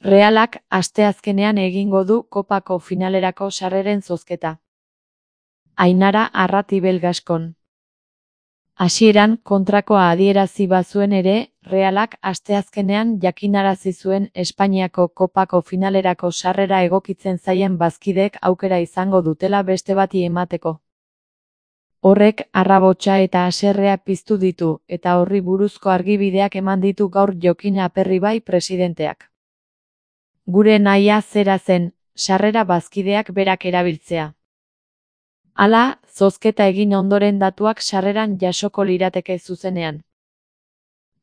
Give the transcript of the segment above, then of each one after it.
Realak asteazkenean egingo du kopako finalerako sarreren zozketa. Ainara Arratibel Gaskon. Hasieran kontrakoa adierazi bazuen ere, Realak asteazkenean jakinarazi zuen Espainiako kopako finalerako sarrera egokitzen zaien bazkideek aukera izango dutela beste bati emateko. Horrek arrabotsa eta haserrea piztu ditu, eta horri buruzko argibideak eman ditu gaur Jokin Aperribai presidenteak. Gure nahia zera zen, sarrera bazkideak berak erabiltzea. Hala, zozketa egin ondoren datuak sarreran jasoko lirateke zuzenean.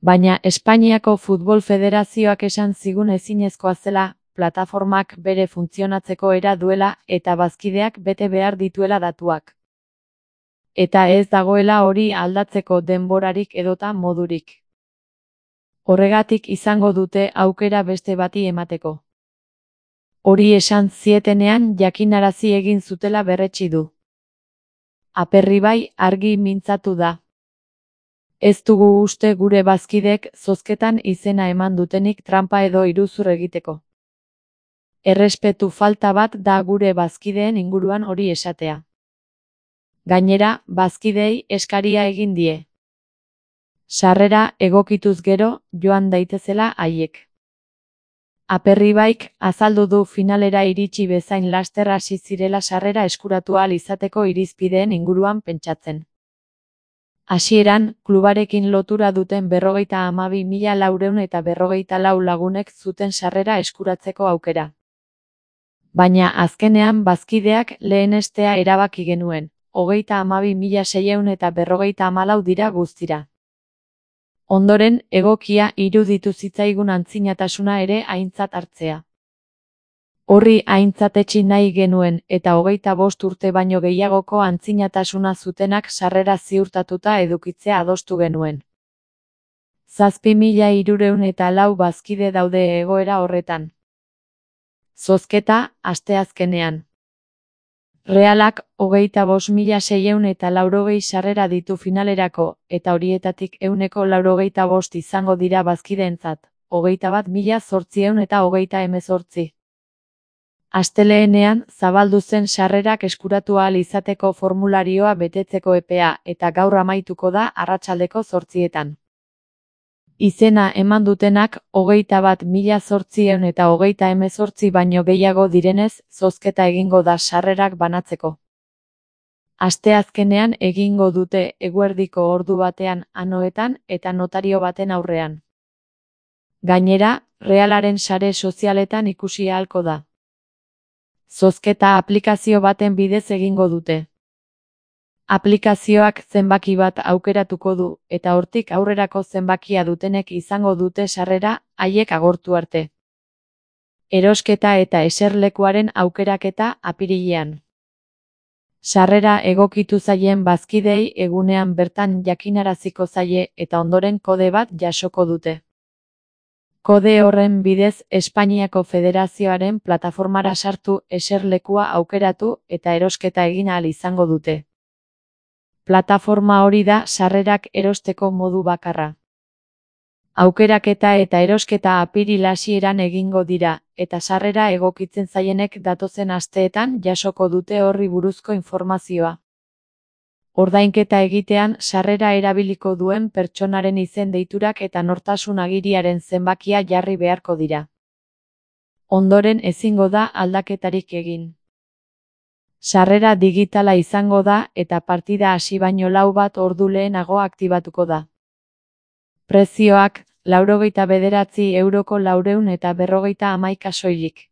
Baina Espainiako Futbol Federazioak esan zigun ezinezkoa zela, plataformak bere funtzionatzeko era duela eta bazkideak bete behar dituela datuak. Eta ez dagoela hori aldatzeko denborarik edota modurik. Horregatik izango dute aukera beste bati emateko. Hori esan zietenean jakinarazi egin zutela berretsi du. Aperribai argi mintzatu da. Ez dugu uste gure bazkidek zozketan izena eman dutenik tranpa edo iruzur egiteko. Errespetu falta bat da gure bazkideen inguruan hori esatea. Gainera, bazkidei eskaria egin die. Sarrera egokituz gero, joan daitezela haiek. Aperribaik azaldu du finalera iritsi bezain laster hasi zirela sarrera eskuratu ahal izateko irizpideen inguruan pentsatzen. Hasieran, klubarekin lotura duten 52.454 lagunek zuten sarrera eskuratzeko aukera. Baina azkenean bazkideak lehenestea erabaki genuen, 52.654 dira guztira. Ondoren, egokia iruditu zitzaigun antzinatasuna ere aintzat hartzea. Horri aintzatetsi nahi genuen eta 25 urte baino gehiagoko antzinatasuna zutenak sarrera ziurtatuta edukitzea adostu genuen. 7.304 bazkide daude egoera horretan. Zozketa, asteazkenean. Realak 25.680 sarrera ditu finalerako, eta horietatik 185 izango dira bazkideentzat, 21.818. Asteleenean zabaldu zen sarrerak eskuratu ahal izateko formularioa betetzeko epea eta gaur amaituko da arratsaldeko 8:00. Izena eman dutenak 21.818 baino gehiago direnez, zozketa egingo da sarrerak banatzeko. Asteazkenean egingo dute eguerdiko ordu batean Anoetan eta notario baten aurrean. Gainera, Realaren sare sozialetan ikusi ahalko da. Zozketa aplikazio baten bidez egingo dute. Aplikazioak zenbaki bat aukeratuko du, eta hortik aurrerako zenbakia dutenek izango dute sarrera, haiek agortu arte. Erosketa eta eserlekuaren aukeraketa apirilean. Sarrera egokitu zaien bazkidei egunean bertan jakinaraziko zaie eta ondoren kode bat jasoko dute. Kode horren bidez Espainiako Federazioaren plataformara sartu, eserlekua aukeratu eta erosketa egin ahal izango dute. Plataforma hori da sarrerak erosteko modu bakarra. Aukeraketa eta erosketa apiril hasieran egingo dira, eta sarrera egokitzen zaienek datozen asteetan jasoko dute horri buruzko informazioa. Ordainketa egitean sarrera erabiliko duen pertsonaren izen deiturak eta nortasun agiriaren zenbakia jarri beharko dira. Ondoren ezingo da aldaketarik egin. Sarrera digitala izango da eta partida hasi baino 4 ordu lehenago aktibatuko da. Prezioak, €99 451 soilik.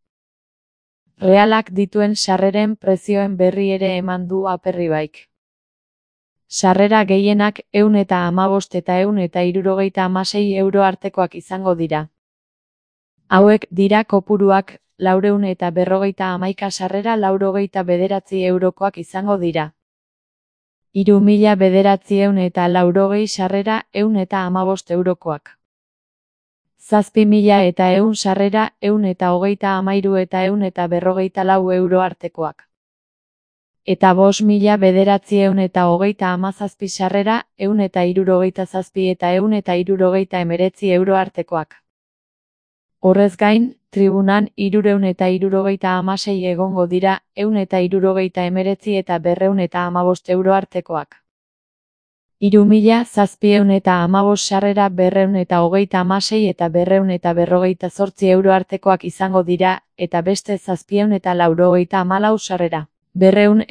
Realak dituen sarreren prezioen berri ere eman du Aperribaik. Sarrera gehienak €115 eta €176 artekoak izango dira. Hauek dira kopuruak, 451 sarrera €99 izango dira. 3.980 sarrera €115. 7.100 sarrera €133 eta €144 artekoak. Eta 5.917 sarrera €167 eta €179 artekoak. Horrez gain, tribunan 376 egongo dira, 179 eta 215 euro artekoak. 3.715 sarrera 236 eta 258 euro artekoak izango dira, eta beste 794 sarrera, 269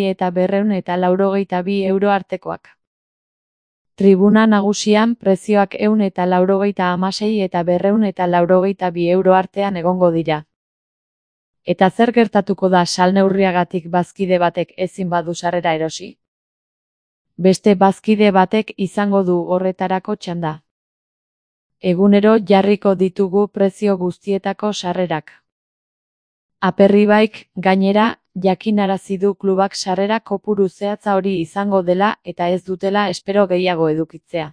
eta 282 euro artekoak. Tribuna nagusian prezioak 196 eta 282 euro artean egongo dira. Eta zer gertatuko da salneurriagatik bazkide batek ezin badu sarrera erosi? Beste bazkide batek izango du horretarako txanda. Egunero jarriko ditugu prezio guztietako sarrerak. Aperribaik, gainera, jakinarazi du klubak sarrera kopuru zehatza hori izango dela eta ez dutela espero gehiago edukitzea.